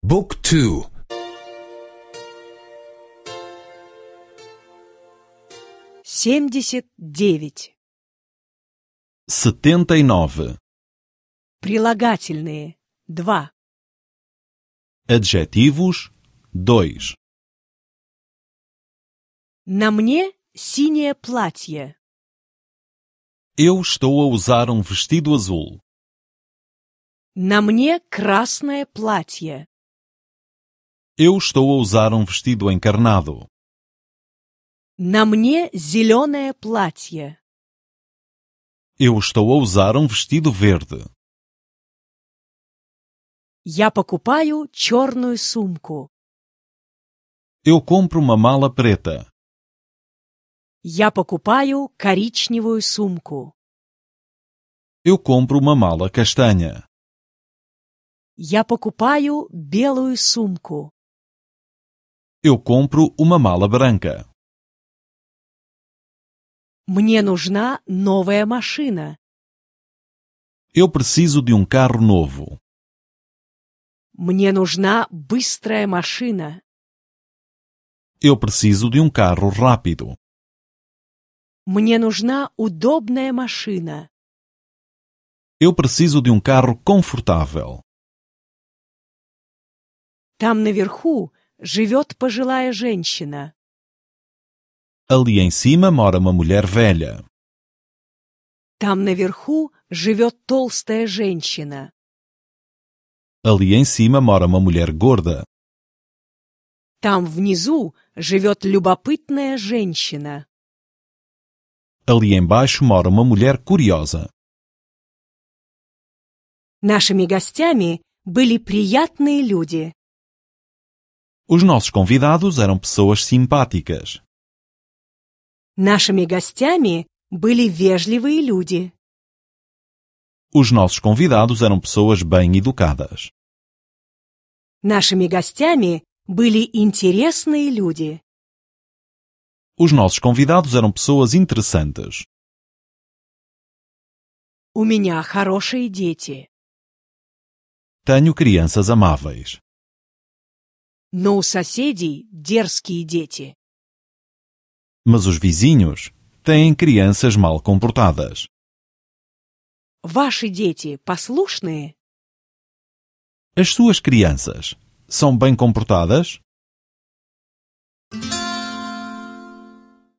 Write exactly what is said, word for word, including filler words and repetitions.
Book two. Семьдесят девять. Setenta e nove. Прилагательные. Два. Adjetivos. Dois. На мне синее платье. Eu estou a usar um vestido azul. На мне красное платье. Eu estou a usar um vestido encarnado. На мне зеленое платье. Eu estou a usar um vestido verde. Я покупаю черную сумку. Eu compro uma mala preta. Я покупаю коричневую сумку. Eu compro uma mala castanha. Я покупаю белую сумку. Eu compro uma mala branca. Мне нужна новая машина. Eu preciso de um carro novo. Мне нужна быстрая машина. Eu preciso de um carro rápido. Мне нужна удобная машина. Eu preciso de um carro confortável. Там наверху живет пожилая женщина. Ali em cima mora uma mulher velha. Там наверху живет толстая женщина. Ali em cima mora uma mulher gorda. Там внизу живет любопытная женщина. Ali embaixo mora uma mulher curiosa. Нашими гостями были приятные люди. Os nossos convidados eram pessoas simpáticas. Нашими гостями были вежливые люди. Os nossos convidados eram pessoas bem educadas. Нашими гостями были интересные люди. Os nossos convidados eram pessoas interessantes. У меня хорошие дети. Tenho crianças amáveis. Но у соседей дерзкие дети. Mas os vizinhos têm crianças mal comportadas. Ваши дети послушные? As suas crianças são bem comportadas?